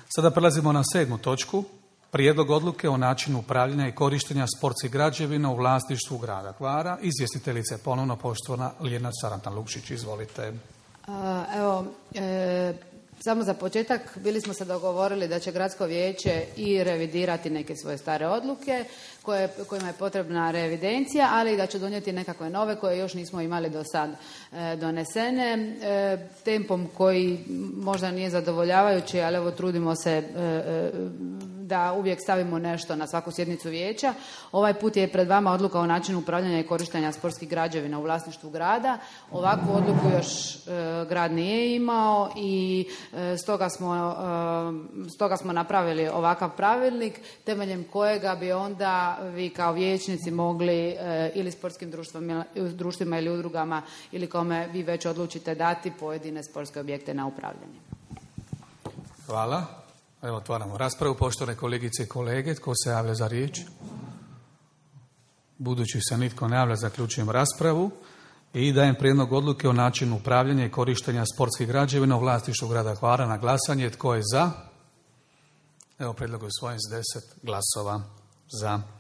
Sada prelazimo na 7. točku. Prijedlog odluke o načinu upravljanja i korištenja sportskih građevina u vlasništvu grada Hvara. Izvjestiteljica je ponovno poštovana Ljiljana Sarantan-Lukšić. Izvolite. Samo za početak bili smo se dogovorili da će gradsko vijeće i revidirati neke svoje stare odluke kojima je potrebna reevidencija, ali i da će donijeti nekakve nove koje još nismo imali do sad donesene. Tempom koji možda nije zadovoljavajući, ali evo trudimo se da uvijek stavimo nešto na svaku sjednicu vijeća. Ovaj put je pred vama odluka o načinu upravljanja i korištenja sportskih građevina u vlasništvu grada. Ovakvu odluku još grad nije imao i stoga smo napravili ovakav pravilnik temeljem kojega bi onda vi kao vijećnici mogli ili sportskim društvima ili udrugama ili kome vi već odlučite dati pojedine sportske objekte na upravljanje. Hvala. Evo, otvaramo raspravu. Poštovane kolegice i kolege, tko se javlja za riječ? Budući se nitko ne javlja, zaključujem raspravu i dajem prijedlog odluke o načinu upravljanja i korištenja sportskih građevina u vlasništvu grada Hvara na glasanje. Tko je za? Evo, prijedlog je usvojen s 10 glasova za.